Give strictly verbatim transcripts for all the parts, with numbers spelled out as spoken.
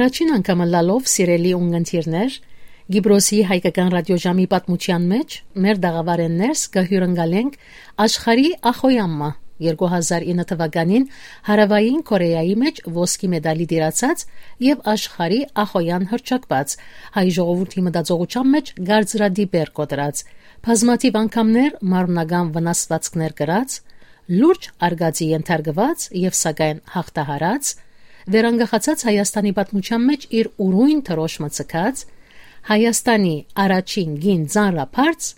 Առաջին անգամ ըլլալով, սիրելի ունգընտիրներ, Կիպրոսի հայկական ռադիոժամի պատմութեան մէջ մեր տաղաւարէն ներս կը հիւրընկալենք աշխարհի ախոյամը։ Երկու հազար ինը թվականին Հարաւային Կորեայի մէջ ոսկի մեդալի տիրացած եւ աշխարհի ախոյան հռչակուած, հայ ժողովուրդի մտածողութեան մէջ կարծրատիպեր կոտրած, բազմաթիւ անգամներ մարմնական վնասուածքներ կրած, լուրջ արգածի ենթարկուած եւ սակայն հաղթահարած, վերանկախացած Հայաստանի պատմութեան մէջ իր ուրոյն դրոշմը ձգած, Հայաստանի առաջին կին ծանրաբարձ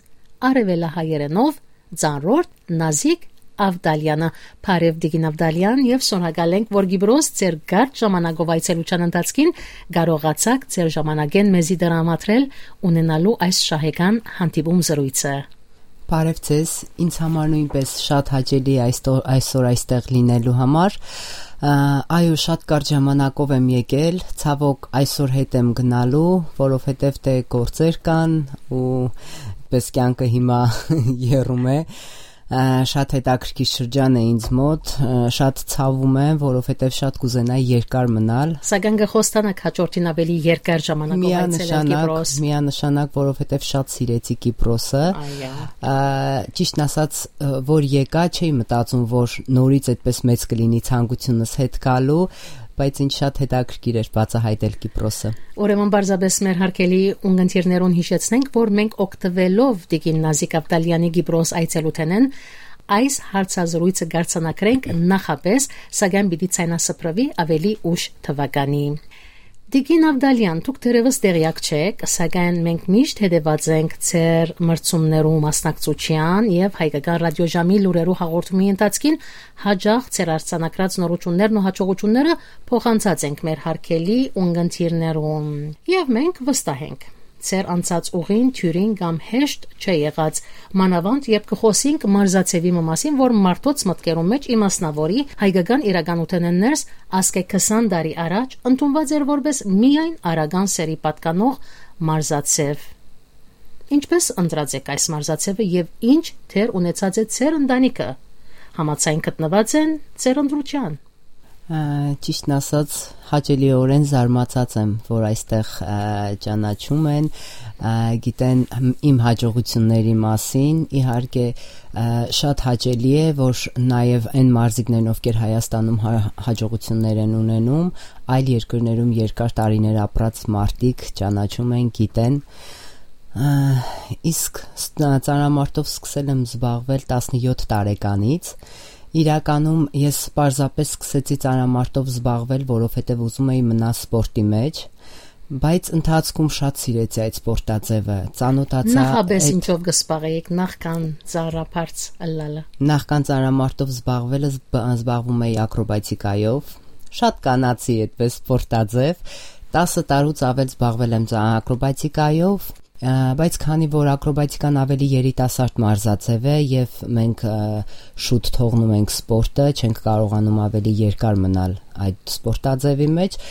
արեւելահայերէնով ծանրորդ Նազիկ Ավդալյանը։ Բարեւ, Տիկին Ավդալյան, եւ շնորհակալ ենք, որ Կիպրոս ձեր կարճ ժամանակով այցելութեան ընթացքին կարողացաք ձեր ժամանակէն մեզի տրամադրել, ունենալու այս շահեկան հանդիպում զրոյցը։ Բարև ձեզ, ինձ համար նոյնպէս շատ հաճելի է այսօ-, այսօր այստեղ լինելու համար։ Ա, այո, շատ կարճ ժամանակով եմ եկել, ցաւոք այսօր հետ եմ գնալու, որովհետեւ դե գործեր կան ու պես կեանքը հիմա եռում է։ Ա, շատ հետաքրքիր շրջան է ինձ մոտ, ա, շատ ցավում եմ, որովհետեւ շատ կուզենայի երկար մնալ։ Սակայն կը խոստանաք հաջորդին ավելի երկար ժամանակով այցելել Կիպրոս։ Միանշանակ, որովհետեւ շատ սիրեցի Կիպրոսը։ Այո։ Ա, ճիշդն ասած, ը, որ եկայ, չէի մտածում, որ նորից այդպես մեծ կլինի ցանկությունս հետ գալու, բայց ինձ շատ հետաքրքիր էր բացահայտել Կիպրոսը։ Ուրեմն պարզապէս մեր հարգելի ունգընտիրներուն յիշեցնենք, որ մենք օգտվելով Տիկին Նազիկ Ավդալյանի Կիպրոս այցելութենէն այս հարցազրույցը կարձանագրենք նախապէս, սակայն պիտի ցայնասփռուի ավելի ուշ թվականի։ Տիկին Ավդալյան, դուք թերեւս տեղեակ չէք, սակայն մենք միշտ հետեւած ենք ձեր մրցումներու մասնակցութեան եւ Հայկական ռադիոժամի լուրերու հաղորդումի ընթացքին հաճախ ձեր արձանագրած նորութիւններն ու յաջողութիւնները փոխանցած ենք մեր հարգելի ունգընտիրներուն։ Եւ մենք վստահ ենք, ձեր անցած ուղին դիւրին կամ հեշտ չէ եղած, մանաւանդ երբ կը խօսինք մարզաձեւի մը մասին, որ մարդոց մտքերուն մէջ իմասնաւորի հայկական իրականութենէն ներս ասկէ քսան տարի առաջ ընդունուած էր որպէս միայն արական սեռի պատկանող մարզաձեւ։ Ինչպէս ընտրած էք այս մարզաձեւը եւ ինչ դեր ունեցած է ձեր ընտանիքը, համաձայն գտնուած են ձեր ընտրութեան։ Ա, ճիշդն ասած, հաճելիօրէն զարմացած եմ, որ այստեղ, ա, ճանաչում են, ա, գիտեն իմ հաջողությունների մասին։ Իհարկե, ա, շատ հաճելի է, որ նաեւ այն մարզիկներն, ովքեր Հայաստանում հա-, հաջողություններ են ունենում, այլ երկրներում երկար տարիներ ապրած մարդիկ ճանաչում են, գիտեն։ Ա, իսկ ս-, ծանրամարտով սկսել եմ զբաղվել տասնյոթ տարեկանից։ Իրականում ես պարզապէս սկսեցի ծանրամարտով զբաղվել, որովհետեւ ուզում էի մնալ սպորտի մեջ, բայց ընթացքում շատ սիրեցի այդ սպորտաձեւը, ծանոթացա Նախապէս այդ ինչով կը զբաղեիք նախքան ծանրաբարձ ըլլալը։ Նախքան ծանրամարտով զբաղվելը զբ-, զբաղվում էի ակրոբատիկայով, շատ կանացի այդպես սպորտաձեւ, տասը տարուց ավել զբաղվել եմ ծա-, ակրոբատիկայով, ա, բայց քանի որ ակրոբատիկան ավելի երիտասարդ մարզաձեւ է եւ մենք, ա, շուտ թողնում ենք սպորտը, չենք կարողանում ավելի երկար մնալ այդ սպորտաձեւի մեջ,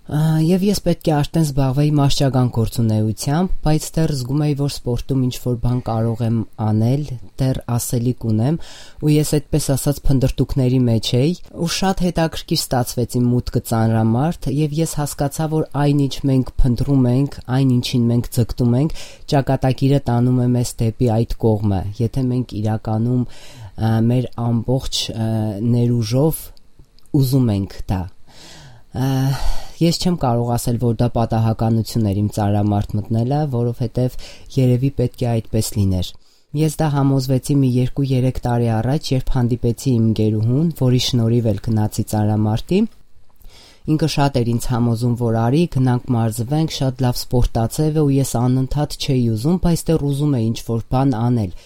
ա, եւ ես պետք է արդեն զբաղվեի մարզչական գործունեությամբ, բայց դեռ զգում էի, որ սպորտում ինչ-որ բան կարող եմ անել, դեռ ասելիք ունեմ, ու ես այդպես ասած փնտրտուքների մեջ էի, ու շատ հետաքրքիր ստացվեց իմ մուտքը ծանրամարդ, եւ ես հասկացա, որ այն, ինչ մենք փնտրում ենք, այն, ինչին մենք ձգտում ենք, ճակատագիրը տանում է մեզ դեպի այդ կողմը, եթե մենք իրականում, ա, մեր ամբողջ, ա, ներուժով ուզում ենք դա։ Ա, ես չեմ կարող ասել, որ դա պատահականություն էր իմ ծանրամարդ մտնելը, որովհետև երևի պետք է այդպես լիներ։ Ես դա համոզվեցի մի երկու-երեք տարի առաջ, երբ հանդիպեցի իմ ընկերուհուն, որի շնորհիվ էլ գնացի ծանրամարտի։ Ինքը շատ էր ինձ համոզում, որ արի, գնանք մարզվենք, շատ լավ սպորտաձև է, ու ես անընդհատ չէի ուզում, բայց դեռ ուզում էի ինչ-որ բան անել։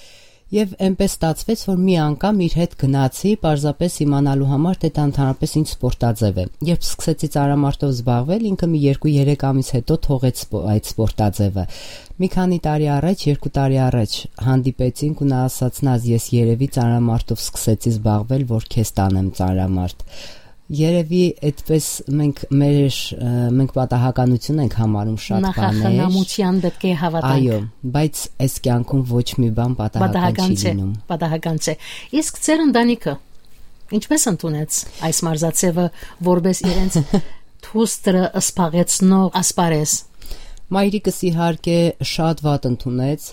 Եվ այնպես ստացվեց, որ մի անգամ իր հետ գնացի, պարզապես իմանալու համար, թե դա ընդհանրապես ինչ սպորտաձև է։ Երբ սկսեցի ծանրամարտով զբաղվել, ինքը մի երկու-երեք ամիս հետո թողեց սպո-, այդ սպորտաձևը։ Մի քանի տարի առաջ, երկու տարի առաջ հանդիպեցինք ու նա ասաց. «Նազ, ես երևի ծանրամարտով սկսեցի զբաղվել, որ քեզ տանեմ ծանրամարդ»։ Երևի այդպես մենք մեր, ը, մենք պատահականություն ենք համարում շատ բաներ։ Նախախնամության պետք է հավատանք։ Այո, բայց այս կյանքում ոչ մի բան պատահական Պատահական չի չէ, լինում։ պատահական չէ։ Իսկ ձեր ընտանիքը ինչպես ընդունեց այս մարզաձևը որպես իրենց փուստրը սպաղեցնող ասպարէզ։ Մայրիկս իհարկե շատ վատ ընդունեց,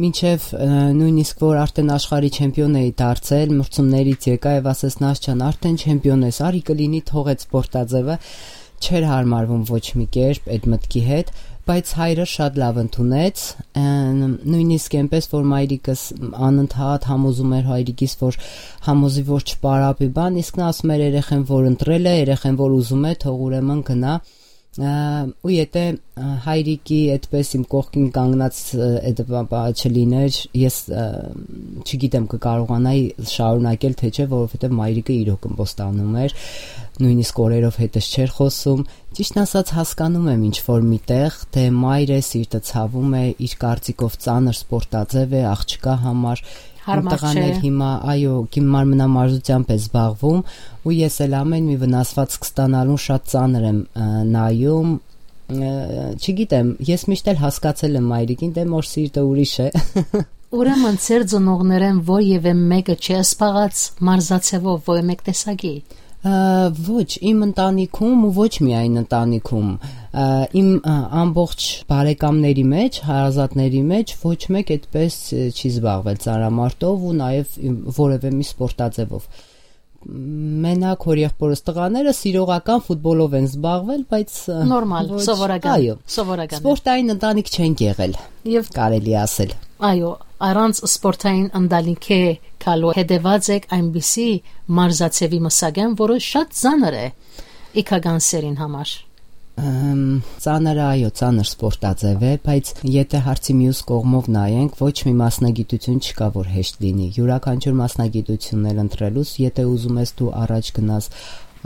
մինչեւ, ը, նոյնիսկ որ արդեն աշխարհի չեմպիոն էի դարձել, մրցումներից եկայ եւ ասեց. «Նասչան, արդեն չեմպիոն ես, արի կը լինի, թողեց սպորտաձեւը»։ Չէր յարմարվում ոչ մի կերպ այդ մտքի հետ, բայց հայրը շատ լաւ ընդունեց, ը, նոյնիսկ այնպես, որ մայրիկս անընդհատ համոզում էր հայրիկիս, որ համոզի, որ չպարապի բան, իսկ նա ասում էր երեխեն, որ ընտրել է, երեխեն, որ ուզում է, թող ուրեմն գնա։ Ա, ու եթե, ա, հայրիկի այդպես իմ կողքին կանգնած, ը, այդ բա-, բա չլիներ, ես, ը, չգիտեմ, կկարողանայի շարունակել, թե չէ, որովհետեւ մայրիկը իրոք ըմբոստանում էր, նոյնիսկ օրերով հետս չէր խոսում։ Ճիշդն ասած, հասկանում եմ ինչ որ միտեղ, թե մայրը սիրտը ցավում է, իր կարծիքով ծանր սպորտաձեւ է, աղջկա համար։ Իմ Հարմար տղան չէ։ Էլ հիմա, այո, կին մարմնամարզությամբ է զբաղվում, ու ես էլ ամեն մի վնասվածք ստանալուն շատ ծանր եմ, ը, նայում։ Ը, չգիտեմ, ես միշտ էլ հասկացել եմ մայրիկին, դե մոր սիրտը ուրիշ է։ Ուրեմն ձեր ծնողներէն որեւէ մէկը չէ սպաղած մարզաձեւով որեւէ մէկ տեսակի։ Ա, ոչ, իմ ընտանիքում ու ոչ միայն ընտանիքում, ա, իմ, ա, ամբողջ բարեկամների մեջ, հարազատների մեջ ոչ մեկ այդպես, ը, չի զբաղվել ծանրամարտով ու նաեւ իմ որևէ մի սպորտաձևով։ Մենակ հոր եղբորս տղաները սիրողական ֆուտբոլով են զբաղվել, բայց, ը, Նորմալ, ոչ, սովորական, այո, սովորական է։ Սպորտային ընտանիք չենք եղել, Եվ կարելի ասել։ Այո, առանց սպորտային ընտանիքէ գալու հետեւած եք այնպիսի մարզաձևի մսակէն, որը շատ ծանր է իգական սերին համար։ Ըմ, ծանրը, այո, ծանր սպորտաձև է, բայց եթե հարցի մյուս կողմով նայենք, ոչ մի մասնագիտություն չկա, որ հեշտ լինի։ Յուրաքանչյուր մասնագիտությունն էլ ընտրելուց, եթե ուզում ես դու առաջ գնաս,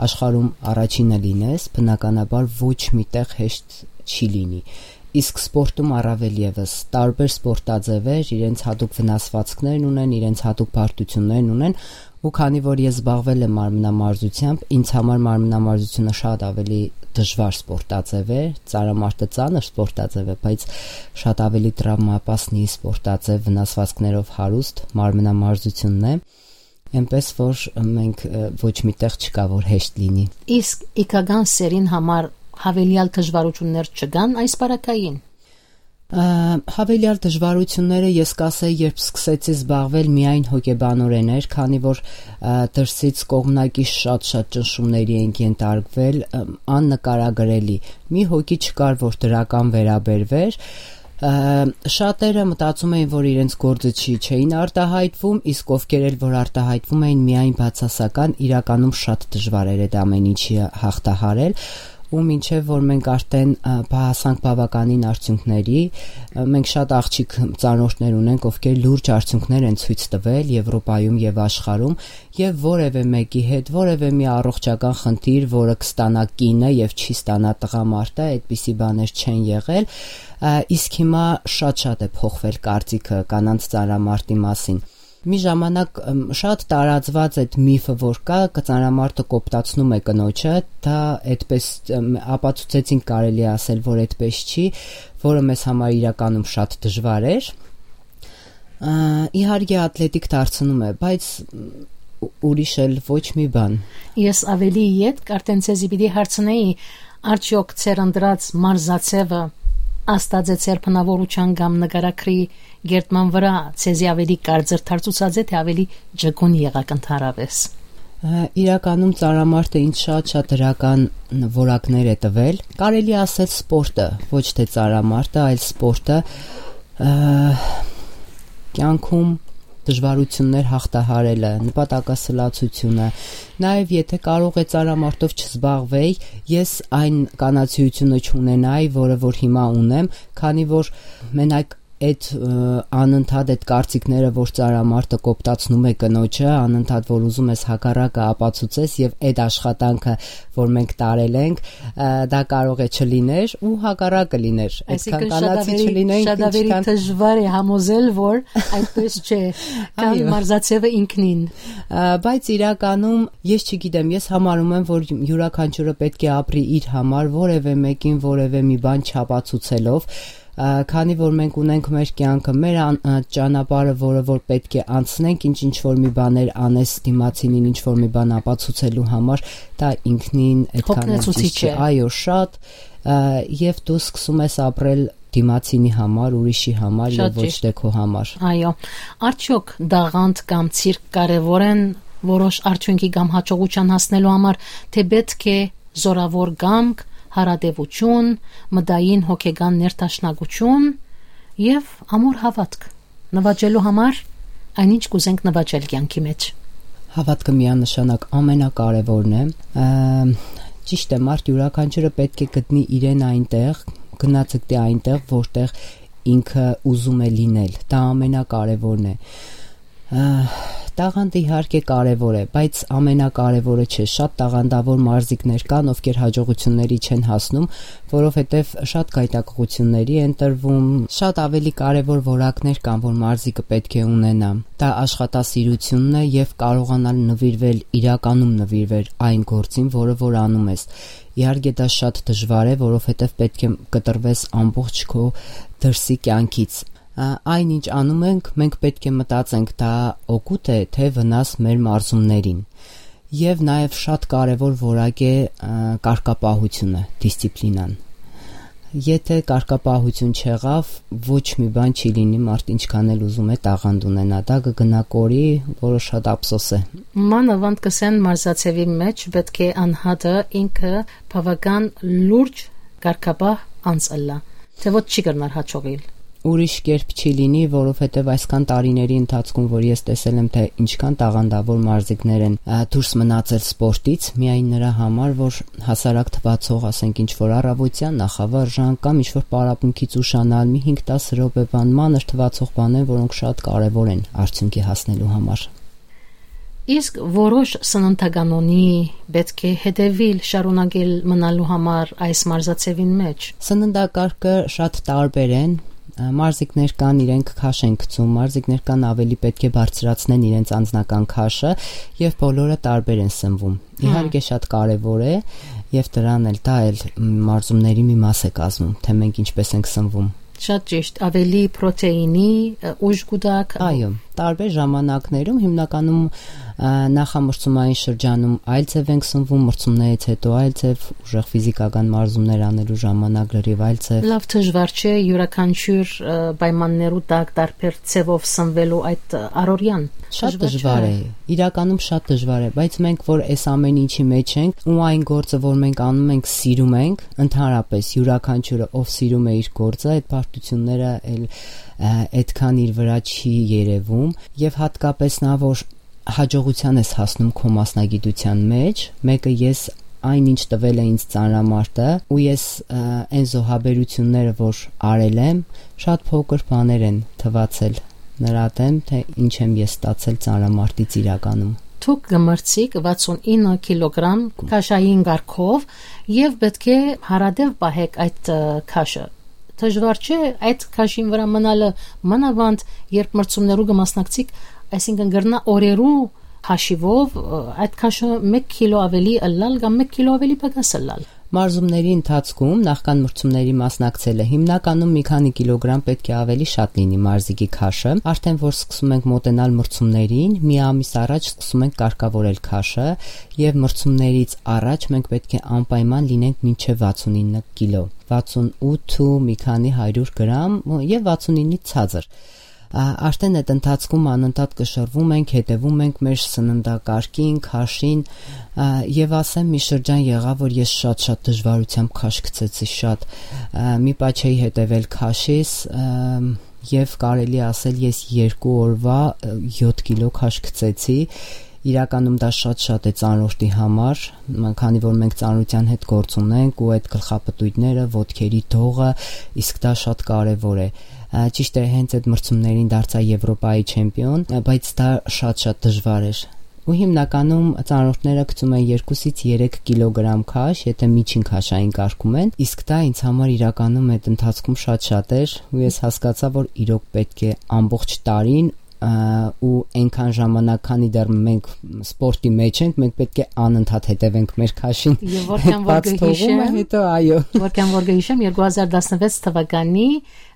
աշխարհում առաջինը լինես, բնականաբար ոչ մի տեղ հեշտ չի լինի։ Իսկ սպորտում առավել ևս, տարբեր սպորտաձևեր իրենց հատուկ վնասվածքներն ունեն, իրենց հատուկ բարդություններն ունեն, ու քանի որ ես զբաղվել եմ մարմնամարզությամբ, ինձ համար մարմնամարզությունը շատ ավելի դժվար սպորտաձև է, ծանրամարտը ծանր սպորտաձև է, բայց շատ ավելի տրավմապասնի սպորտաձև, վնասվածքներով հարուստ մարմնամարզությունն է, այնպես որ մենք, ը, ոչ մի տեղ չկա, որ հեշտ լինի։ Իսկ իգական սերին համար հավելյալ դժվարություններ չկան այս պարագային։ Ը, հավելյալ դժվարությունները, ես կասեի, երբ սկսեցի զբաղվել, միայն հոգեբանորեն էր, քանի որ, ը, դրսից կողմնակի շատ-շատ ճնշումների ենք ենթարկվել, ը, աննկարագրելի։ Մի հոգի չկար, որ դրական վերաբերվեր։ Ը, շատերը մտածում էին, որ իրենց գործը չի, չէին արտահայտվում, իսկ ովքեր էլ որ արտահայտվում էին, միայն բացասական, իրականում շատ դժվար էր այդ ամեն ինչի հաղթահարել, ու մինչեւ որ մենք արդեն, ը, բա-, հասանք բավականին արդյունքների, ը, մենք շատ աղջիկ ծանորդներ ունենք, ովքեր լուրջ արդյունքներ են ցույց տվել Եվրոպայում եւ աշխարհում, եւ որեւէ մեկի հետ, որեւէ մի առողջական խնդիր, որը կստանա կինը եւ չի ստանա տղամարդը, այդպիսի բաներ չեն եղել, ը, իսկ հիմա շատ-շատ է փոխվել կարծիքը կանանց ծանրամարտի մասին։ Մի ժամանակ, ըմ, շատ տարածված այդ միֆը, որ կա, կը-, ծանրամարտը կոպտացնում է կնոջը, դա այդպես, ըմ, ապացուցեցինք, կարելի է ասել, որ այդպես չի, որը մեզ համար իրականում շատ դժվար էր։ Ա, իհարկե, աթլետիկ դարձնում է, բայց, մ, ու-, ուրիշ էլ ոչ մի բան։ Ես ավելի ետք արդեն ձեզի պիտի հարցնեի, արդյոք ձեր ընտրած մարզաձևը ազդած է ձեր բնավորության կամ նկարագրի կերտման վրա, ձեզի ավելի կարծր դարձուցած է, թե ավելի ջկուն եղաք ընդհանրապես։ Ա, իրականում ծանրամարտը ինձ շատ-շատ դրական որակներ է տվել։ Կարելի ասել սպորտը, ոչ թե ծանրամարտը, այլ սպորտը, ա, կյանքում դժվարություններ հաղթահարելը, նպատակասլացությունը, նաեւ եթե կարող է ծանրամարտով չզբաղվեի, ես այն կանացիությունը չունենայի, որը որ հիմա ունեմ, քանի որ մենակ այդ, ը, անընդհատ այդ կարծիքները, որ ծանրամարտը կոպտացնում է կնոջը, անընդհատ որ ուզում ես հակառակը ապացուցես, եւ այդ աշխատանքը, որ մենք տարել ենք, ը, դա կարող է չլիներ ու հակառակը լիներ։ Այսինքն՝ Այդքան կանացի շատ ավելի, չլինենք, շատ ավելի ինչքան դժվար է համոզել, որ այդպես չէ, քան Այո։ Մարզաձևը ինքնին։ Ա, բայց իրականում, ես չգիտեմ, ես համարում եմ, որ յուրաքանչյուրը պետք է ապրի իր համար, որևէ մեկին որևէ մի բան չապացուցելով, Ա, քանի որ մենք ունենք մեր կեանքը, մեր ան-, ա, ճանապարհը, որը որ պէտք է անցնենք, ինչ, ինչ որ մի բաներ անես դիմացինին, ինչ որ մի բան ապացուցելու համար, դա ինքնին այդքան էլ Հոգնեցուցիչ ճիշդ չէ։ է։ Այո, շատ, ա, եւ դու սկսում ես ապրել դիմացինի համար, ուրիշի համար Շատ եւ ոչ ճիշդ։ Դե քո համար։ Այո, արդյոք դաղանդ կամ ցիրկ կարեւոր են որոշ արդյունքի կամ հաջողության հասնելու համար, թե պէտք է զորաւոր կամք, հարատեւություն, մտային հոգեկան ներդաշնակություն եւ ամուր հաւատք նվաճելու համար, այն ինչ կ'ուզենք նվաճել կեանքի մեջ։ Հավատքը միանշանակ ամենակարևորն է։ Ա, ճիշդ է, մարդ յուրաքանչյուրը պէտք է գտնի իրեն այնտեղ, գնացկտի այնտեղ, որտեղ ինքը ուզում է լինել։ Դա ամենակարևորն է։ Ա, տաղանդը իհարկե կարևոր է, բայց ամենակարևորը չէ։ Շատ տաղանդավոր մարզիկներ կան, ովքեր հաջողությունների չեն հասնում, որովհետև շատ գայթակղությունների են տրվում, շատ ավելի կարևոր որակներ կան, որ մարզիկը պէտք է ունենա։ Դա աշխատասիրությունն է եւ կարողանալ նվիրվել, իրականում նվիրվել այն գործին, որը որ անում ես։ Իհարկե դա շատ դժվար է, որովհետև պէտք է կտրվես ամբողջ քո դրսի կյանքից։ Ա, այն ինչ անում ենք, մենք պէտք է մտածենք, դա օգուտ է, թե վնաս մեր մարզումներին։ Եվ նաև շատ կարևոր որակ է, ա, կարգապահությունը, դիսցիպլինան։ Եթե կարգապահություն չեղավ, ոչ մի բան չի լինի, մարդ ինչքան էլ ուզում է տաղանդ ունենա, դա կգնա կորի, որը շատ ափսոս է։ Մանավանդ կսեն մարզաձևի մեջ պէտք է անհատը ինքը բավական լուրջ կարգապահ անձ ըլլայ, թէ ոչ չի կրնար հաջողիլ։ Ուրիշ կերպ չի լինի, որովհետև այսքան տարիների ընթացքում, որ ես տեսել եմ, թե ինչքան տաղանդավոր մարզիկներ են, ա, դուրս մնացել սպորտից, միայն նրա համար, որ հասարակ թվացող, ասենք, ինչ-որ առավոտեան, նախավարժան կամ ինչ-որ պարապմունքից ուշանալ, մի հինգ-տաս րոպե բան, մանր թվացող բաներ, որոնք շատ կարևոր են արդյունքի հասնելու համար։ Իսկ որոշ սննդականոնի պէտք է հետեւիլ, շարունակել մնալու համար այս մարզաձեւին մեջ։ Սննդակարգը շատ տարբեր են։ Ա, մարզիկներ կան, իրենք քաշ են գցում, մարզիկներ կան, ավելի պէտք է բարձրացնեն իրենց անձնական քաշը, եւ բոլորը տարբեր են սնվում։ Հմ։ Իհարկե շատ կարեւոր է, եւ դրան էլ, դա էլ, մ, մարզումների մի մաս է կազմում, թե մենք ինչպես ենք սնվում։ Շատ ճիշտ, ավելի պրոթեինի, ը, ուժ կուտակ։ Այո, տարբեր ժամանակներում, հիմնականում, ա, նախամրցումային շրջանում այլ ձև ենք սնվում, մրցումներից հետո այլ ձև, ուժեղ ֆիզիկական մարզումներ անելու ժամանակ լրիվ այլ ձև։ Լավ դժվար չէ յուրաքանչյուր, ը, պայմաններու տակ տարբեր ձևով սնվելու այդ, ը, առօրեան։ Շատ դժվար դժվար չէ։ է, իրականում շատ դժվար է, բայց մենք որ այս ամեն ինչի մեջ ենք, ու այն գործը, որ մենք անում ենք, սիրում ենք, ընդհանրապես յուրաքանչյուրը, ով սիրում է իր գործը, այդ պարտությունները էլ, ա, այդքան իր վրա չի երևում, եւ հատկապես նա, որ հաջողության ես հասնում քո մասնագիտության մեջ, մեկը ես այն ինչ տվել է ինձ ծանրամարտը, ու ես, ա, այն զոհաբերությունները, որ արել եմ, շատ փոքր բաներ են թվացել նրա դեմ, թե ինչ եմ ես ստացել ծանրամարտից իրականում։ Դուք կմրցիք վաթսուն ինը կիլոգրամ քաշային կարգով եւ պէտք է հարատեւ պահեք այդ, ը, քաշը։ Դժվար չէ այդ քաշին վրա մնալը, մանավանդ երբ մրցումներու կմասնակցիք, այսինքն կրնայ օրերու հաշիվով, ը, այդ քաշը մեկ կիլո ավելի ըլլալ կամ մեկ կիլո ավելի պակաս ըլլալ։ Մարզումների ընթացքում նախքան մրցումների մասնակցելը հիմնականում մի քանի կիլոգրամ պէտք է ավելի շատ լինի մարզիկի քաշը։ Արդեն որ սկսում ենք մոտենալ մրցումներին, մի ամիս առաջ սկսում ենք կարգավորել քաշը, եւ մրցումներից առաջ մենք պէտք է անպայման լինենք մինչեւ վաթսուն ինը կիլո, վաթսուն ութ ու մի քանի հարյուր գրամ, եւ վաթսուն ինից ցածր։ Ա, արդեն այդ ընթացքում անընդհատ կշռվում ենք, հետևում ենք մեր սննդակարգին, քաշին, ա, եւ ասեմ, մի շրջան եղա, որ ես շատ-շատ դժվարությամբ քաշ գցեցի, շատ, ա, մի պահ չէի հետևել քաշիս, ա, եւ կարելի ասել, ես երկու օրվա, ա, յոթ կիլո քաշ գցեցի։ Իրականում դա շատ-շատ է ծանրորդի համար, մ-, քանի որ մենք ծանրության հետ գործ ունենք ու այդ գլխապտույտները, ոտքերի դողը, իսկ դա շատ կարեւոր է։ Ա, ճիշտ է, հենց այդ մրցումներին դարձա Եվրոպայի չեմպիոն, ա, բայց դա շատ-շատ դժվար էր։ Ու հիմնականում ծանրորդները գցում են երկուսից երեք կիլոգրամ քաշ, եթե միջին քաշային կարգում են, իսկ դա ինձ համար իրականում այդ ընթացքում շատ-շատ էր, ու ես հասկացա, որ իրոք պէտք է ամբողջ տարին ը, ու այնքան ժամանակ, քանի դեռ մենք սպորտի մեջ ենք, մենք պէտք է անընդհատ հետեւենք մեր քաշին։ Եւ որքան որ բաց թողումը կհիշեմ, հետո, այո։ Որքան որ կհիշեմ, երկու հազար տասնվեց թվականի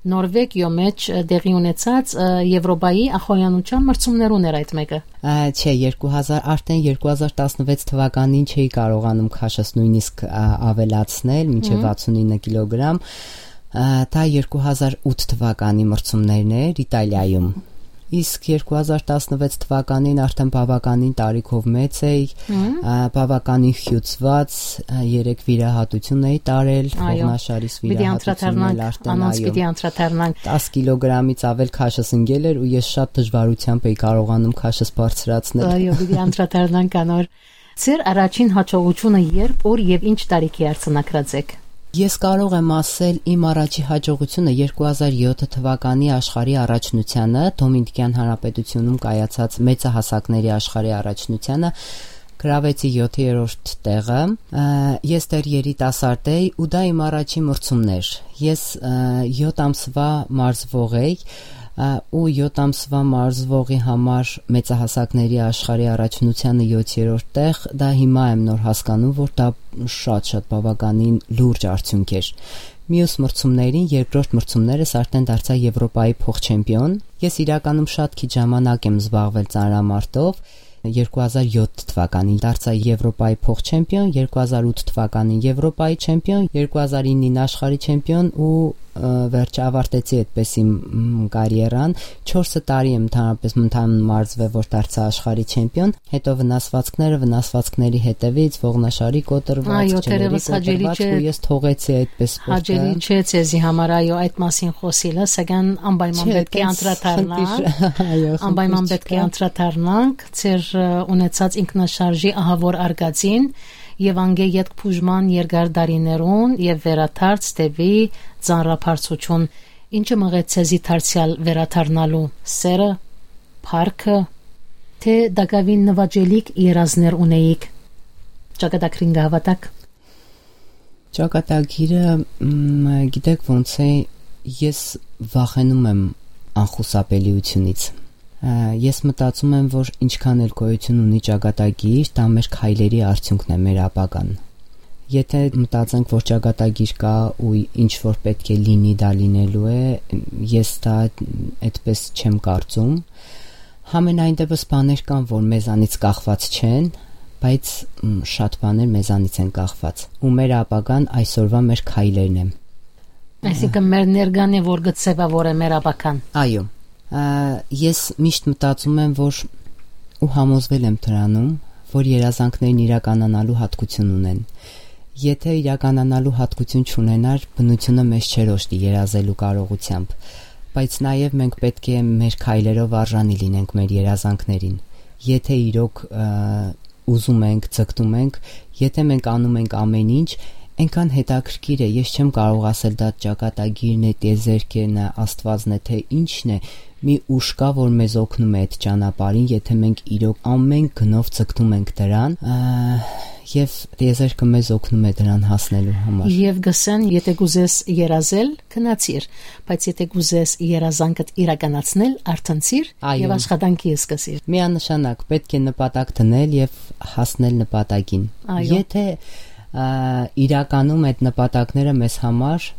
Նորվեգիոյ մեջ, ը, տեղի ունեցած, ը, Եվրոպայի ախոյանության մրցումներուն էր այդ մէկը։ Ա, չէ, երկու հազար, արդեն երկու հազար տասնվեց թվականին չէի կարողանում քաշս նույնիսկ, ա, ավելացնել, մինչեւ Մհմ։ վաթսունինը կիլոգրամ։ Ա, դա երկու հազար ութ թվականի մրցումներն էր Իտալիայում։ Իսկ երկու հազար տասնվեց թվականին արդեն բաւականին տարիքով մեծ էի, Մհմ։ ա, բաւականին խիուցված, ա, երեք վիրահատություն էի տարել, Այո։ ողնաշարիս Պիտի վիրահատությունն անդրադառնանք, էլ արդեն, անոնց այո, պիտի անդրադառնանք։ տաս կիլոգրամից ավել քաշս ընկել էր ու ես շատ դժվարությամբ էի կարողանում քաշս բարձրացնել։ Այո, պիտի անդրադառնանք անոր։ Ձեր առաջին հաջողությունը երբ, ուր եւ ինչ տարիքի արձանագրած էք։ Ես կարող եմ ասել, իմ առաջի հաջողությունը երկու հազար յոթ թվականի աշխարհի առաջնությանը, Դոմինիկյան Հանրապետությունում կայացած մեծահասակների աշխարհի առաջնությանը, գրավեցի յոթերորդ տեղը։ Ա, ես դեռ երիտասարդ էի ու դա իմ առաջին մրցումն էր։ Ես, ա, յոթ ամսվա մարզվող էի, ա, ու յոթ ամսվա մարզվողի համար մեծահասակների աշխարհի առաջնությանը յոթերորդ տեղ, դա հիմա եմ նոր հասկանում, որ դա շատ-շատ բաւականին լուրջ արդիւնք էր։ Մյուս մրցումներին, երկրորդ մրցումներս արդեն դարձա Եվրոպայի փոխ չեմպիոն։ Ես իրականում շատ քիչ ժամանակ եմ զբաղվել ծանրամարտով։ Երկու հազար յոթ թվականին դարձա Եվրոպայի փոխ չեմպիոն, երկու հազար ութ թվականին Եվրոպայի չեմպիոն, երկու հազար իննին աշխարհի չեմպիոն ու, ը, վերջը ավարտեցի այդպես իմ, մ, կարիերան։ Չորսը տարի եմ ընդհանրապես, ընդհանուր մարզվե, որ դարձա աշխարհի չեմպիոն, հետո վնասվածքները, վնասվածքների հետևից, ողնաշարի կոտրված, Այո, չների թերևս հաճելի կոտրված չէ, ու ես թողեցի այդպես սպորտը։ հաճելի չէ ձեզի համար, այո, այդ մասին խոսիլը, սակայն անպայման Չէ, պետք է այդպես անդրադառնանք, խնդիր, այո, անպայման խնդիր պետք է չկա։ անդրադառնանք ձեր, ը, ունեցած ինքնաշարժի ահավոր արգածին եւ անգէ ետք բուժման երկար տարիներուն եւ վերադարձ դեպի ծանրաբարձություն։ Ինչը մղեց ձեզի դարձեալ վերադառնալու սերը, փառքը, թե տակաւին նուաճելիք երազներ ունեիք ճակատագրին կը հաւատաք։ Ճակատագիրը, մ, գիտեք ոնց է, ես վախենում եմ անխուսափելիությունից։ Ա, ես մտածում եմ, որ ինչքան էլ գոյություն ունի ճակատագիր, դա մեր քայլերի արդյունքն է, մեր ապագան։ Եթե մտածենք, որ ճակատագիր կա ու ինչ որ պետք է լինի, դա լինելու է, ես դա այդպես չեմ կարծում։ Համենայն դեպս բաներ կան, որ մեզանից կախված չեն, բայց, մ, շատ բաներ մեզանից են կախված։ Ու մեր ապագան այսօրվա մեր քայլերն են։ Այսինքն մեր ներկան է, որ կը ձևավորե մեր ապագան։ Այո։ Ա, ես միշտ մտածում եմ, որ ու համոզվել եմ դրանում, որ երազանքներն իրականանալու հատկություն ունեն։ Եթե իրականանալու հատկություն չունենար, բնությունը մեզ չէր օժտի երազելու կարողությամբ, բայց նաև մենք պետք է մեր քայլերով արժանի լինենք մեր երազանքներին։ Եթե իրոք, ա, ուզում ենք, ձգտում ենք, եթե մենք անում ենք ամեն ինչ, այնքան հետաքրքիր է, ես չեմ կարող ասել դա ճակատագիրն է, տիեզերքն է, Աստվածն է, թե ինչն է, մի ուժ կա, որ մեզ օգնում է այդ ճանապարհին, եթե մենք իրոք ամեն գնով ձգտում ենք դրան, ա, և տիեզերքը մեզ օգնում է դրան հասնելու համար։ Եվ գսեն, եթե կուզես երազել, գնացիր, բայց եթե կուզես երազանքդ իրականացնել, արթնցիր Այո։ և աշխատանքի սկսիր։ Միանշանակ պետք է նպատակ դնել և հասնել նպատակին։ Այո։ Եթե, ա, իրականում այդ նպատակները մեզ համար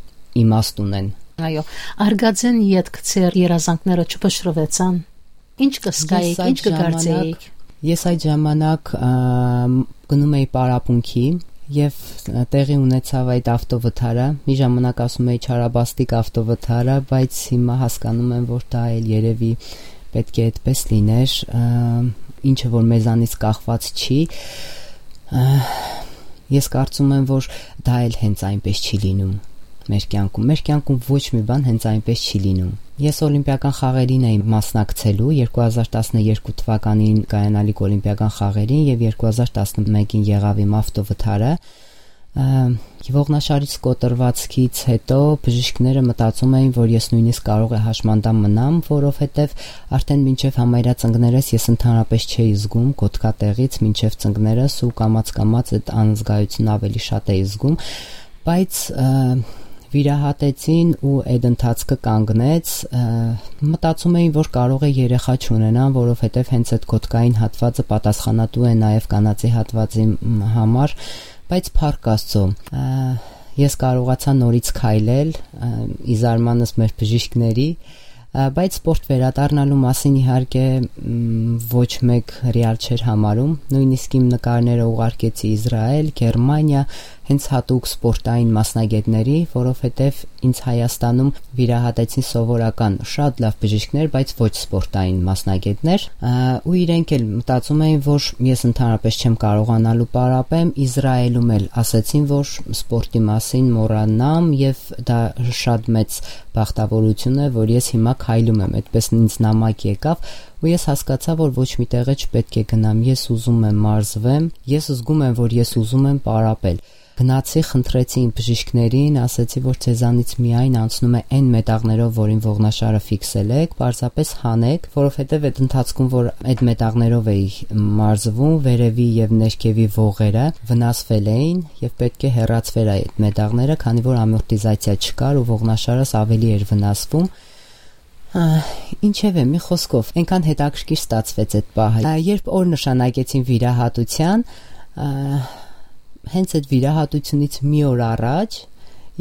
իմաստ ունեն։ Այո, արգածեն ետք ձեր երազանքները չփշրվեցան։ Ինչ կսկայիք, Ես այդ ինչ կգործեիք։ ժամանակ, ես այդ ժամանակ, ա, գնում էի պարապունքի և, ա, տեղի ունեցավ այդ ավտովթարը։ Մի ժամանակ ասում էի չարաբաստիկ ավտովթարը, բայց հիմա հասկանում եմ, որ դա էլ երևի պետք է այդպես լիներ, ա, ինչը որ մեզանից կախված չի, ա, ես կարծում եմ, որ դա էլ հենց այնպես չի լինում մեր կյանքում։ Մեր կյանքում ոչ մի բան հենց այնպես չի լինում։ Ես Օլիմպիական խաղերին էի մասնակցելու երկու հազար տասներկու թվականին կայանալիք Օլիմպիական խաղերին և երկու հազար տասնմեկին եղավ իմ ավտովթարը։ Ա, ողնաշարից կոտրվածքից հետո բժիշկները մտածում էին, որ ես նույնիսկ կարող է հաշմանդամ մնամ, որովհետև արդեն մինչև համարյա ծնկներս ես ընդհանրապես չէի զգում կոթկատեղից մինչև ծնկներս ու կամաց-կամաց այդ անզգայությունը ավելի շատ էի զգում, բայց, ա, Վիրահատեցին ու այդ ընթացքը կանգնեց։ Ը, մտածում էին, որ կարող է երեխա չունենան, որովհետև հենց այդ կոթկային հատվածը պատասխանատու է նաև կանացի հատվածի, մ, համար, բայց փառք Աստծո, ը, ես կարողացա նորից քայլել, ը, ի զարմանս մեր բժիշկների, ը, բայց սպորտ վերադառնալու մասին իհարկե, մ, ոչ մեկ ռեալ չէր համարում։ Նույնիսկ իմ նկարները ուղարկեցի Իսրայել, Գերմանիա, հենց հատուկ սպորտային մասնագետների, որովհետև ինձ Հայաստանում վիրահատեցին սովորական շատ լավ բժիշկներ, բայց ոչ սպորտային մասնագետներ, ը, ու իրենք էլ մտածում էին, որ ես ընդհանրապես չեմ կարողանալու պարապեմ։ Իսրայելում էլ ասեցին, որ սպորտի մասին մոռանամ, և դա շատ մեծ բախտավորություն է, որ ես հիմա քայլում եմ, այդպես ինձ նամակ եկավ, ու ես հասկացա, որ ոչ մի տեղը չպետք է գնամ, ես ուզում եմ մարզվեմ, ես զգում եմ, որ ես ուզում եմ պարապել։ Գնացի, խնդրեցի իմ բժիշկներին, ասեցի, որ ձեզանից միայն անցնում է այն մետաղներով, որին ողնաշարը ֆիքսել եք, պարզապես հանեք, որովհետև այդ ընթացքում, որ այդ մետաղներով էի մարզվում, վերևի և ներքևի ողերը վնասվել էին, և պետք է հեռացվեր այդ մետաղները, քանի որ ամորտիզացիա չկար ու ողնաշարս ավելի էր վնասվում։ Ա, ինչևէ, մի խոսքով, այնքան հետաքրքիր ստացվեց այդ պահը։ Ա, երբ օր նշանակեցին վիրահատության, ա, հենց այդ վիրահատությունից մի օր առաջ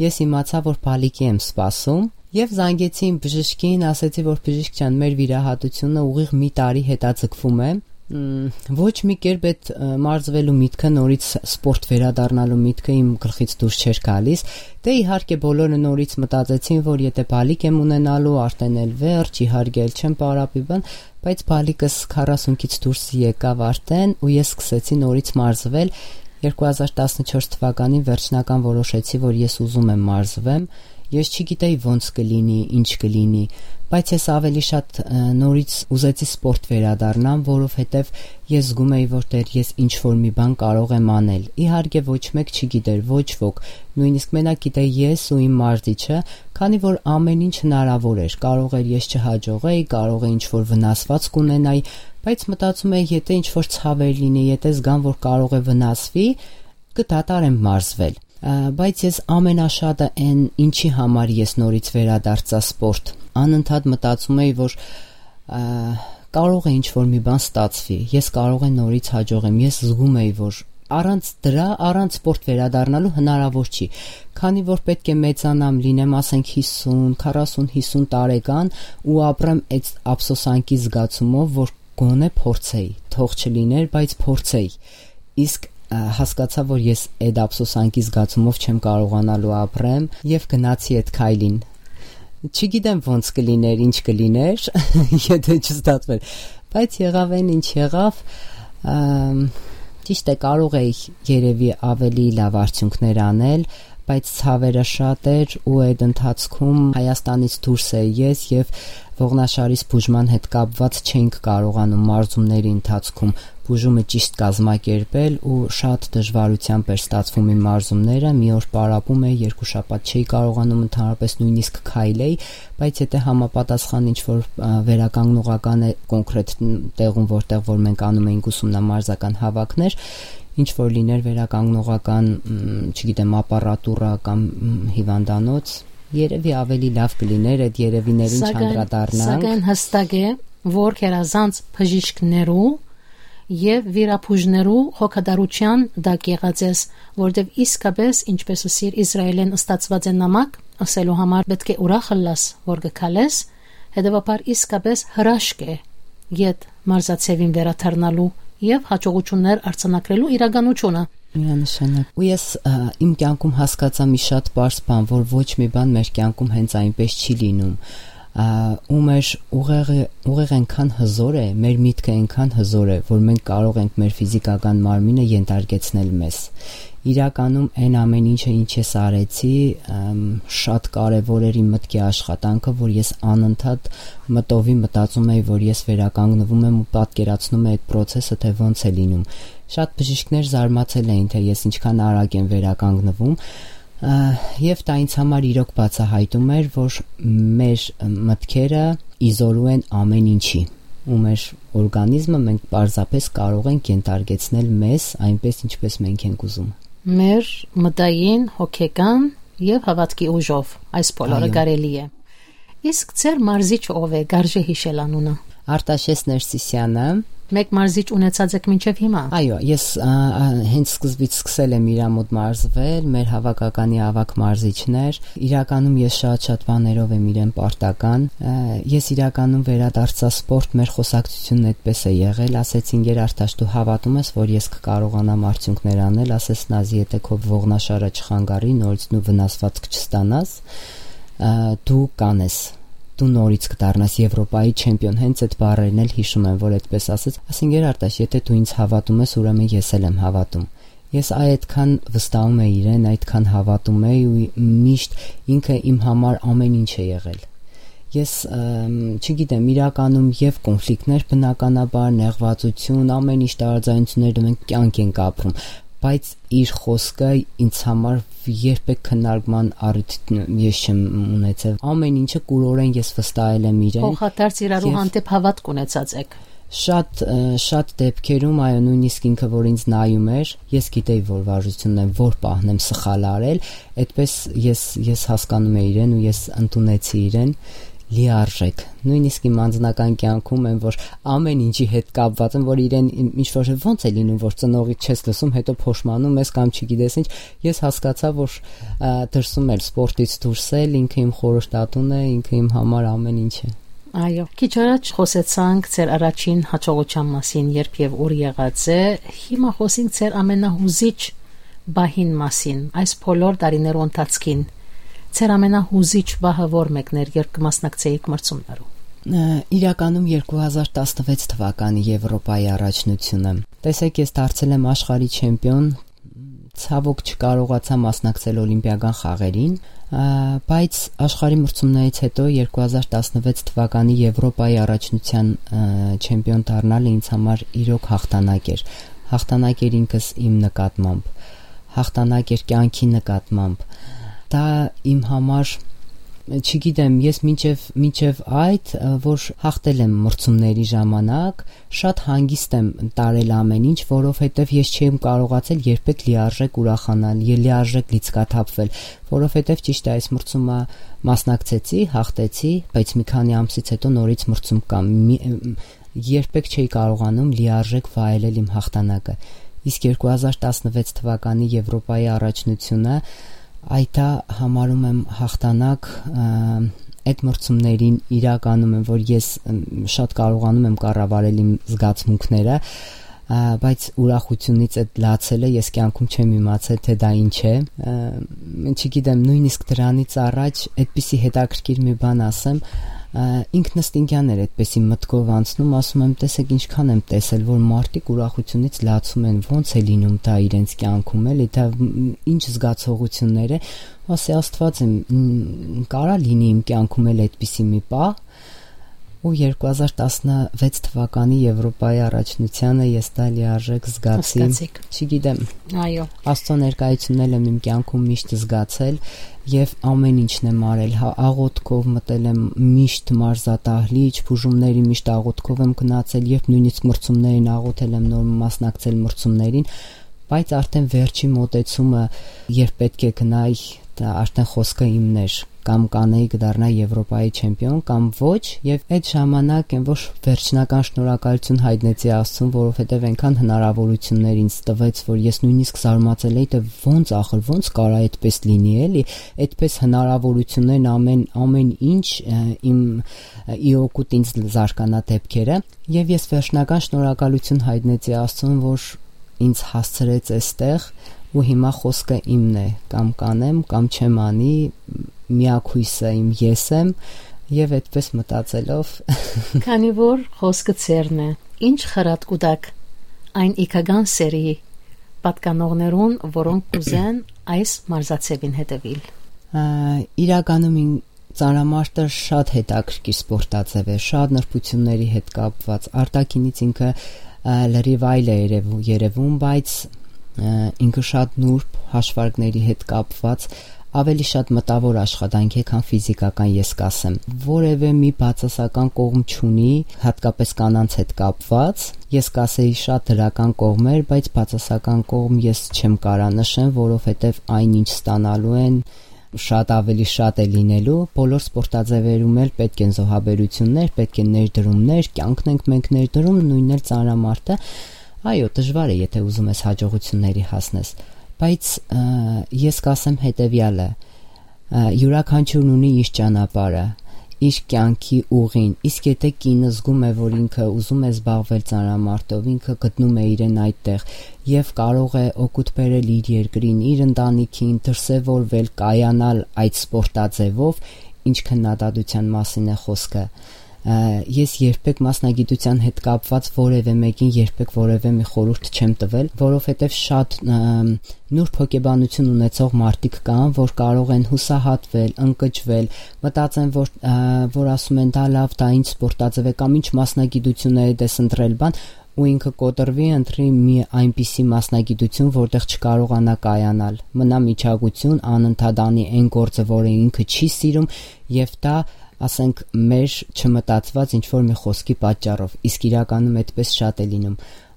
ես իմացա, որ բալիկի եմ սպասում, և զանգեցի իմ բժշկին, ասեցի, որ բժիշկ ջան, մեր վիրահատությունը ուղիղ մի տարի հետաձգվում է։ Մ, ոչ մի կերպ այդ, ը, մարզվելու միտքը, նորից սպորտ վերադառնալու միտքը իմ գլխից դուրս չէր գալիս։ Դե, իհարկե, բոլորը նորից մտածեցին, որ եթե բալիկ եմ ունենալու, արդեն էլ վերջ, իհարկե, էլ չեմ պարապի բան, բայց բալիկս քառասունքից դուրս եկավ արդեն, ու ես սկսեցի նորից մարզվել։ Երկու հազար տասնչորս թվականին վերջնական որոշեցի, որ ես ուզում եմ մարզվեմ։ Ես չգիտեի ոնց կլինի, ինչ կլինի, բայց ես ավելի շատ, ը, նորից ուզեցի սպորտ վերադառնամ, որովհետև ես զգում էի, որ դեռ ես ինչ-որ մի բան կարող եմ անել։ Իհարկե, ոչ մեկ չգիտեր, ոչ ոք, նույնիսկ մենակ գիտեի ես ու իմ մարզիչը, քանի որ ամեն ինչ հնարավոր էր, կարող էր ես չհաջողեի, կարող է ինչ-որ վնասվածք ունենայի, բայց մտածում էի, եթե ինչ-որ ցաv էր լինի, եթե զգամ, որ կարող է վնասվի, կդադարեմ մարզվել։ Ա, բայց ես ամենաշատը այն, ինչի համար ես նորից վերադարձա սպորտ, անընդհատ մտածում էի, որ, ա, կարող է ինչ-որ մի բան ստացվի, ես կարող է նորից հաջողեմ, ես զգում էի, որ առանց դրա, առանց սպորտ վերադառնալու հնարավոր չի, քանի որ պետք է մեծանամ, լինեմ, ասենք, հիսուն, քառասուն, հիսուն տարեկան ու ապրեմ այդ ափսոսանքի զգացումով, որ գոնե փորձեի, թող չլիներ, բայց փորձեի։ Իսկ, ա, հասկացա, որ ես այդ ափսոսանքի զգացումով չեմ կարողանալու ապրեմ, և գնացի այդ քայլին։ Չգիտեմ ոնց կլիներ, ինչ կլիներ, եթե չստացվեր, բայց եղավ այն, ինչ եղավ։ Ամ, ճիշտ է, կարող էի երևի ավելի լավ արդյունքներ անել, բայց ցավերը շատ էր, ու այդ ընթացքում Հայաստանից դուրս էի ես, և ողնաշարիս բուժման հետ կապված չէինք կարողանում մարզումների ընթացքում բուժումը ճիշտ կազմակերպել, ու շատ դժվարությամբ էր ստացվում իմ մարզումները։ Մի օր պարապում էի, երկու շաբաթ չէի կարողանում ընդհանրապես նույնիսկ քայլեի, բայց եթե համապատասխան ինչ-որ, ա, վերականգնողական է կոնկրետ տեղում, որտեղ որ մենք անում էինք ուսումնամարզական հավաքներ, ինչ-որ լիներ վերականգնողական, մ, չգիտեմ, ապարատուրա կամ, մ, հիվանդանոց, երևի ավելի լավ կլիներ այդ երևիներին Սակայն, չանդրադառնանք։ Սակայն հստակ է, որ գերազանց բժիշկներու և վիրաբուժներու հոգատարության տակ եղած ես, որտեվ իսկապես, ինչպես ըսիր, Իսրայելէն ստացված է նամակ, ասելու համար պետք է ուրախ ըլլաս, որ կը քալես, հետևաբար իսկապես հրաշք է յետ մարզաձևին վերադառնալու և հաջողություններ արձանագրելու իրականությունը։ Միանշանակ։ Ու ես, ա, իմ կյանքում հասկացա մի շատ պարզ բան, որ ոչ մի բան մեր կյանքում հենց այնպես չի լինում, ա, ու մեր ուղեղը, ուղեղը այնքան հզոր է, մեր միտքը այնքան հզոր է, որ մենք կարող ենք մեր ֆիզիկական մարմինը ենթարկեցնել մեզ։ Իրականում այն ամեն ինչը, ինչ ես արեցի, ըմ, շատ կարևոր էր իմ մտքի աշխատանքը, որ ես անընդհատ մտովի մտածում էի, որ ես վերականգնվում եմ ու պատկերացնում էի այդ process-ը, թե ոնց է լինում։ Շատ բժիշկներ զարմացել էին, թե ես ինչքան արագ եմ վերականգնվում, ա, և դա ինձ համար իրոք բացահայտում էր, որ մեր մտքերը իզորու են ամեն ինչի, ու մեր օրգանիզմը մենք պարզապես կարող ենք ենթարկեցնել մեզ այնպես, ինչպես մենք ենք ուզում։ Մեր մտային, հոգեկան Եւ հաւատքի ուժով այս բոլորը Այո։ կարելի է։ Իսկ ձեր մարզիչը ով է, կարժե յիշել անունը։ Արտաշես Ներսիսյանը։ Մեկ մարզիչ ունեցած եք մինչեւ հիմա։ Այո, ես, ա, ա, հենց սկզբից սկսել եմ իրա մոտ մարզվել, մեր հաւաքականի ավագ մարզիչներ։ Իրականում ես շատ-շատ բաներով եմ իրեն պարտական։ Ա, ես իրականում վերադարձա սպորտ, մեր խոսակցությունն այդպես է եղել, ասեցին. «Գեր Արտաշ, դու հաւատում ես, որ ես կկարողանամ արդիւնքներ անել», ասես Նազի, եթե քո ողնաշարը չխանգարի, նորից նու վնասվածք չստանաս, ա, դու կանես, դու նորից կդառնաս Եվրոպայի չեմպիոն։ Հենց այդ բառերն էլ յիշում եմ, որ այդպես ասեց։ Ասին, Գեր Արտաշ, եթե դու ինձ հաւատում ես, ուրեմն ես էլ եմ հաւատում։ Ես այ այդքան վստահում էի իրեն, այդքան հաւատում էի ու միշտ ինքը իմ համար ամեն ինչ է եղել։ Ես, ըմ, չգիտեմ, իրականում եւ կոնֆլիկտներ, բնականաբար, նեղվածություն, ամեն ինչ տարաձայնություններ, մենք կյանք ենք ապրում, բայց իր խոսքը ինձ համար երբեք քննարկման առիթ ես չեմ ունեցել։ Ամեն ինչը կուրորեն ես վստահել եմ իրեն։ Փոխադարձ իրարու Եվ հանդեպ հաւատք ունեցած եք։ Շատ, ը, շատ դեպքերում, այո, նույնիսկ ինքը, որ ինձ նայում էր, ես գիտեի, որ վարժությունն եմ, որ պահն եմ սխալ արել, այդպես ես, ես հասկանում էի իրեն ու ես ընդունեցի իրեն լիարժեք։ Նույնիսկ իմ անձնական կյանքում եմ, որ ամեն ինչի հետ կապված եմ, որ իրեն իմ ինչ-որ ոնց է լինում, որ ծնողի չես լսում, հետո փոշմանում ես կամ չգիտես ինչ, ես հասկացա, որ, ա, դրսում էլ, սպորտից դուրս էլ, ինքը իմ խորհրդատուն է, ինքը իմ համար ամեն ինչ է։ Այո, քիչ առաջ խոսեցանք ձեր առաջին հաջողության մասին, երբ եւ ուր եղած է, հիմա խոսենք ձեր ամենահուզիչ բահին մասին, այս բոլոր տարիներու ընթացքին։ Ձեր ամենահուզիչ բահը ո՞ր մեկն էր, երբ կը մասնակցեիք մրցումներու։ Ը, իրականում երկու հազար տասնվեց թվականի Եվրոպայի առաջնությունը։ Տեսեք, ես դարձել եմ աշխարհի չեմպիոն, ցավոք չկարողացա մասնակցել Օլիմպիական խաղերին, ա, բայց աշխարհի մրցումներից հետո երկու հազար տասնվեց թվականի Եվրոպայի առաջնության, ը, չեմպիոն դառնալը ինձ համար իրոք հաղթանակ էր։ Հաղթանակ էր ինքս իմ նկատմամբ, հաղթանակ էր կյանքի նկատմամբ։ Դա իմ համար, չգիտեմ, ես մինչև, մինչև այդ, ը, որ հաղթել եմ մրցումների ժամանակ, շատ հանգիստ եմ տարել ամեն ինչ, որովհետև ես չեմ կարողացել երբեք լիարժեք ուրախանալ, ե-, լիարժեք լիցքաթափվել, որովհետև ճիշտ է, այս մրցումը մասնակցեցի, հաղթեցի, բայց մի քանի ամսից հետո նորից մրցում կա։ Մի, երբեք չէի կարողանում լիարժեք վայելել իմ հաղթանակը։ Իսկ երկու հազար տասնվեց թվականի Եվրոպայի առաջնությունը, այդ ա համարում եմ հաղթանակ, ը, այդ մրցումներին իրականում եմ, որ ես, ըմ, շատ կարողանում եմ կառավարել իմ զգացմունքները, ա, բայց ուրախությունից այդ լացելը ես կյանքում չեմ իմացել, թե դա ինչ է։ Ը, չգիտեմ, նույնիսկ դրանից առաջ այդպիսի հետաքրքիր մի բան ասեմ, ա, ինքնըստինքյան էր այդպիսի մտքով անցնում, ասում եմ, տեսեք, ինչքան եմ տեսել, որ մարդիկ ուրախությունից լացում են, ոնց է լինում դա իրենց կյանքում, էլի, դա, մ, ինչ զգացողություններ է, ասի, Աստված իմ, մ, կարա լինի իմ կյանքում էլ այդպիսի մի պահ, ու երկու հազար տասնվեց թվականի Եվրոպայի առաջնությանը ես դա լիարժեք զգացի։ Հասկացիք։ Չգիտեմ, Այո։ Աստծո ներկայությունն էլ եմ իմ կյանքում միշտ զգացել և ամեն ինչն եմ արել, հա, աղոթքով մտել եմ միշտ մարզադահլիճ, բուժումների միշտ աղոթքով եմ գնացել, երբ նույնիսկ մրցումներին աղոթել եմ, նոր մասնակցել մրցումներին, բայց արդեն վերջի մոտեցումը, երբ պետք է գնայի, դա արդեն խոսքը իմն էր, կամ կանեի կդառնա Եվրոպայի չեմպիոն, կամ ոչ, և այդ ժամանակ եմ որ վերջնական շնորհակալություն հայտնեցի Աստծուն, որովհետև այնքան հնարավորություններ ինձ տվեց, որ ես նույնիսկ զարմացել էի, թե ոնց ախր, ոնց կարա այդպես լինի, էլի, այդպես հնարավորություններն ամեն, ամեն ինչ, ը, իմ, ը, ի օգուտ ինձ զարգանա դեպքերը, և ես վերջնական շնորհակալություն հայտնեցի Աստծուն, որ ինձ հասցրեց այստեղ, ու հիմա խոսքը իմն է, կամ կանեմ, կամ չեմ անի, միակ հույսը իմ ես եմ, և այդպես մտածելով Քանի որ խոսքը ձերն է, ինչ խրատ կուտակ այն իգական սերի պատկանողներուն, որոնք կուզեն այս մարզաձևին հետևել։ Ա, իրականում ին-, ծանրամարտը շատ հետաքրքիր սպորտաձև է, շատ նրբությունների հետ կապված, արտաքինից ինքը, ա, լրիվ այլ է երևու-, երևում, բայց, ա, ինքը շատ նուրբ հաշվարկների հետ կապված, ավելի շատ մտավոր աշխատանք է, քան ֆիզիկական, ես կասեմ։ Որևէ մի բացասական կողմ չունի, հատկապես կանանց հետ կապված։ Ես կասեի շատ դրական կողմեր, բայց բացասական կողմ ես չեմ կարա նշեմ, որովհետև այն ինչ ստանալու են, շատ ավելի շատ է լինելու, բոլոր սպորտաձեւերում էլ պէտք են զոհաբերություններ, պէտք են ներդրումներ, կյանքն ենք մենք ներդրում, նոյնն էլ ծանրամարտը։ Այո, դժուար է, եթե ուզում ես հաջողությունների հասնես, բայց, ը, ես կասեմ հետեւեալը. ը, յուրաքանչյուրն ունի իր ճանապարհը, իր կյանքի ուղին, իսկ եթե կինը զգում է, որ ինքը ուզում է զբաղվել ծանրամարտով, ինքը գտնում է իրեն այդտեղ եւ կարող է օգուտ բերել իր երկրին, իր ընտանիքին, դրսեւորվել, կայանալ այդ սպորտաձեւով, ինչ քննադատության մասին է խոսքը։ Ը, ես երբեք մասնագիտության հետ կապված որեւէ մեկին երբեք որեւէ մի խորհուրդ չեմ տվել, որովհետեւ շատ, ը, նուրբ հոգեբանություն ունեցող մարդիկ կան, որ կարող են հուսահատվել, ընկճվել, մտածեն, որ, ը, որ ասում են, «Դա լավ, դա ինչ սպորտաձեւ է կամ ինչ մասնագիտություն է դες ընտրել», բան, ու ինքը կոտրուի, ընտրի մի այնպիսի մասնագիտություն, որտեղ չկարողանա կայանալ, մնա միջագություն, անընդհատ անի այն գործը, որը ինքը չի սիրում, եւ դա, ասենք, մեր չմտածված ինչ-որ մի խոսքի պատճառով, իսկ իրականում այդպես շատ է լինում։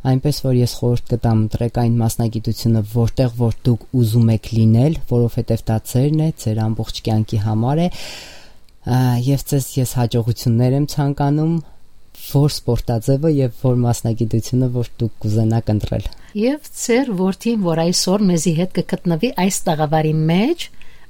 Այնպես որ ես խորհուրդ կտամ, ընտրեք այն մասնագիտությունը, որտեղ որ դուք ուզում եք լինել, որովհետեւ դա ձերն է, ձեր ամբողջ կյանքի համար է, ա, եւ ձեզ ես հաջողություններ եմ ցանկանում, որ սպորտաձեւը եւ որ մասնագիտությունը, որ դուք կուզենաք ընտրել։ Եւ ձեր որդին, որ այսօր մեզի հետ կը գտնուի այս տաղավարի մեջ,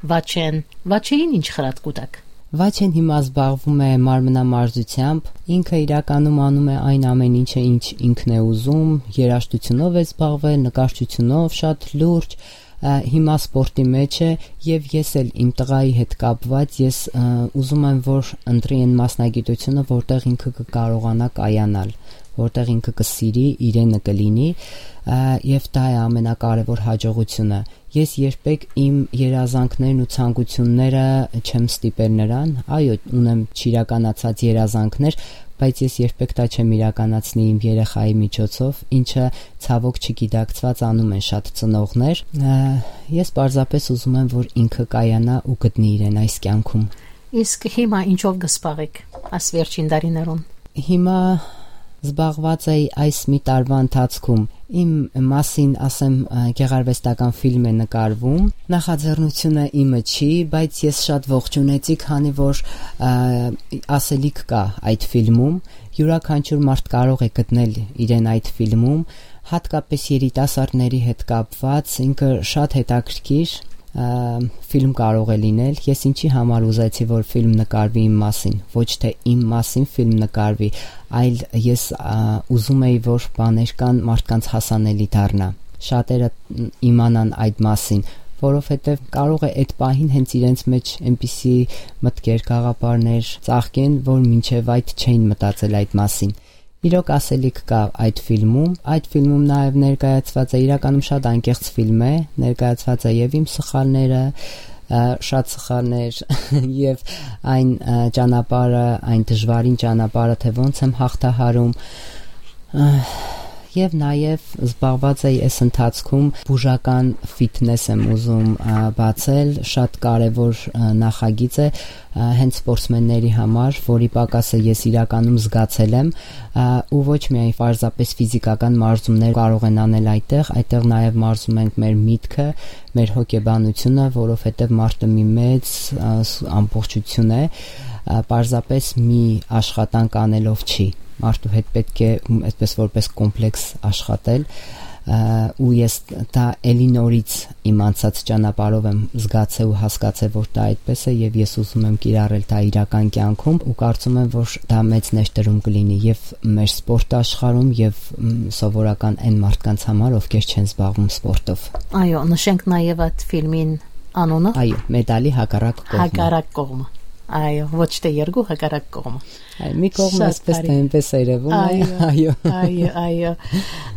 Վաչեն, Վաչեին ինչ խրատ կուտակ։ Վաչեն հիմա զբաղվում է մարմնամարզությամբ, ինքը իրականում անում է այն ամեն ինչը, ինչ ինքն է ուզում, երաժշտությունով է զբաղվել, նկարչությունով շատ լուրջ, ա, հիմա սպորտի մեջ է, եւ ես էլ իմ տղայի հետ կապված, ես, ա, ուզում եմ, որ ընտրի այն մասնագիտությունը, որտեղ ինքը կը կարողանայ կայանալ, որտեղ ինքը կը սիրի, իրենը կը լինի, ա, եւ դա է ամենակարեւոր հաջողությունը։ Ես երբեք իմ երազանքներն ու ցանկությունները չեմ ստիպել նրան, այո, ունեմ չիրականացած երազանքներ, բայց ես երբեք դա չեմ իրականացնի իմ երեխայի միջոցով, ինչը ցավոք չգիտակցված անում են շատ ծնողներ։ Ա, ես պարզապես ուզում եմ, որ ինքը կայանայ ու գտնի իրեն այս կյանքում։ Իսկ հիմա ինչով կը զբաղեք այս վերջին տարիներուն։ Հիմա զբաղված էի այս մի տարվա ընթացքում։ Իմ մասին, ասեմ, ը, գեղարվեստական ֆիլմ է նկարվում։ Նախաձեռնությունը իմը չի, բայց ես շատ ողջունեցի, քանի որ, ը, ասելիք կա այդ ֆիլմում։ Յուրաքանչյուր մարդ կարող է գտնել իրեն այդ ֆիլմում, հատկապես երիտասարդների հետ կապված, ինքը շատ հետաքրքիր, ը, ֆիլմ կարող է լինել։ Ես ինչի համար ուզեցի, որ ֆիլմ նկարվի իմ մասին, ոչ թե իմ մասին ֆիլմ նկարվի, այլ ես, ա, ուզում էի, որ բաներ կան, մարդկանց հասանելի դառնա, շատերը իմանան այդ մասին, որովհետև կարող է այդ պահին հենց իրենց մեջ այնպիսի մտքեր, գաղափարներ ծաղկեն, որ մինչև այդ չէին մտածել այդ մասին։ Իրոք, ասելիք կա այդ ֆիլմում։ Այդ ֆիլմում նաև ներկայացված է, իրականում շատ անկեղծ ֆիլմ է, ներկայացված է և իմ սխալները, ը, շատ սխալներ, և այն, ը, ճանապարհը, այն դժվարին ճանապարհը, թե ոնց եմ հաղթահարում, ը, և նաև զբաղված էի այս ընթացքում, բուժական ֆիթնես եմ ուզում, ը, բացել, շատ կարևոր, ը, նախագիծ է, ը, հենց սպորտսմենների համար, որի պակասը ես իրականում զգացել եմ, ը, ու ոչ միայն պարզապես ֆիզիկական մարզումներ կարող են անել այդտեղ, այդտեղ նաև մարզում ենք մեր միտքը, մեր հոգեբանությունը, որովհետև մարդը մի մեծ, ը, ս-, ամբողջություն է, ը, պարզապես մի աշխատանք անելով չի։ Մարդու հետ պետք է, մ, այդպես որպես կոմպլեքս աշխատել, ը, ու ես դա էլի նորից իմ անցած ճանապարհով եմ զգացել ու հասկացել, որ դա այդպես է, և ես ուզում եմ կիրառել դա իրական կյանքում, ու կարծում եմ, որ դա մեծ ներդրում կլինի և մեր սպորտ աշխարհում, և, մ, սովորական այն մարդկանց համար, ովքեր չեն զբաղվում սպորտով։ Այո, նշենք նաև այդ ֆիլմին անունը։ Այո, մեդալի հակառակ կողմը։ Հակառակ կողմը։ Այո, ոչ թե երկու, հակառակ կողմը։ Այ, մի կողմը շատ այսպես թե բարի։ Այնպես է երևում, այ, այո, այո։ Այո, այո։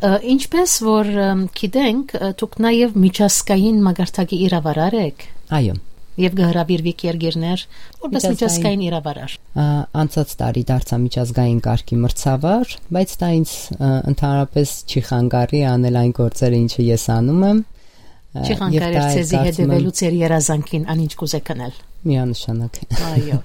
Ը, ինչպես որ, ըմ, գիտենք, ը, դուք նաև միջազգային մակարդակի իրավարար եք։ Այո։ Եվ կհրավիրվիք երկիրներ, որպես միջազգային, միջազգային իրավարար։ Ա, անցած տարի դարձա միջազգային կարգի մրցավար, բայց դա ինձ, ը, ընդհանրապես չի խանգարի անել այն գործերը, ինչը ես անում եմ։ Չի խանգարեր ձեզի հետևելու ձեր երազանքին, անինչ կուզեք անել։ Միանշանակ։ Այո։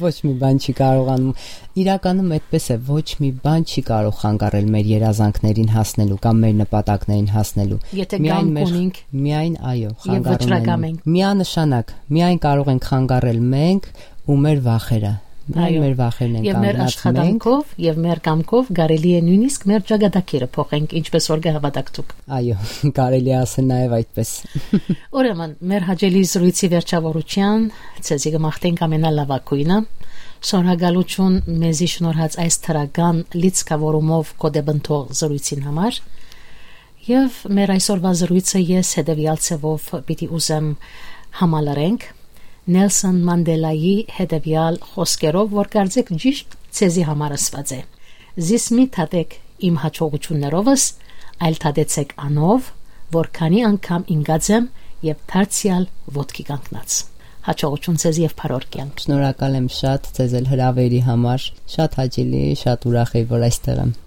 Ոչ մի բան չի կարող անում։ Իրականում այդպես է, ոչ մի բան չի կարող խանգարել մեր երազանքներին հասնելու կամ մեր նպատակներին հասնելու։ Եթե կամք ունենք, միայն, այո, եւ խանգարում վճռակամ ենք։ Միանշանակ, միայն կարող ենք խանգարել մենք ու մեր վախերը։ Միայն, այո, մեր վախերն են կանգնած։ Եւ մեր աշխատանքով, եւ մեր կամքով կարելի է նույնիսկ մեր ճակատագիրը փոխենք, ինչպես որ կհավատաք դուք։ Այո, կարելի է ասել նաեւ այդպես։ Ուրեմն, մեր հաճելի զրոյցի վերջավորության ձեզի կմաղթենք ամենալաւագոյնը։ Շնորհակալություն մեզի շնորհած այս դրական լիցքաւորումով կոդեբնթող զրոյցին համար։ Եւ մեր այսօրվա զրոյցը ես հետեւեալ ձեւով պիտի ուզեմ համալրենք Նելսոն Մանդելայի հետեւեալ խօսքերով, որ կարծեք ճիշտ ձեզի համար ասված է. «Զիս մի դատեք իմ հաջողություններովս, այլ դատեցեք անով, որ քանի անգամ ինկած եմ եւ դարձեալ ոտքի կանգնած»։ Հաջողություն ձեզ եւ բարօր կեանք։ Շնորհակալ եմ շատ ձեզ էլ հրավերի համար։ Շատ հաճելի, շատ ուրախ եմ, որ այստեղ եմ։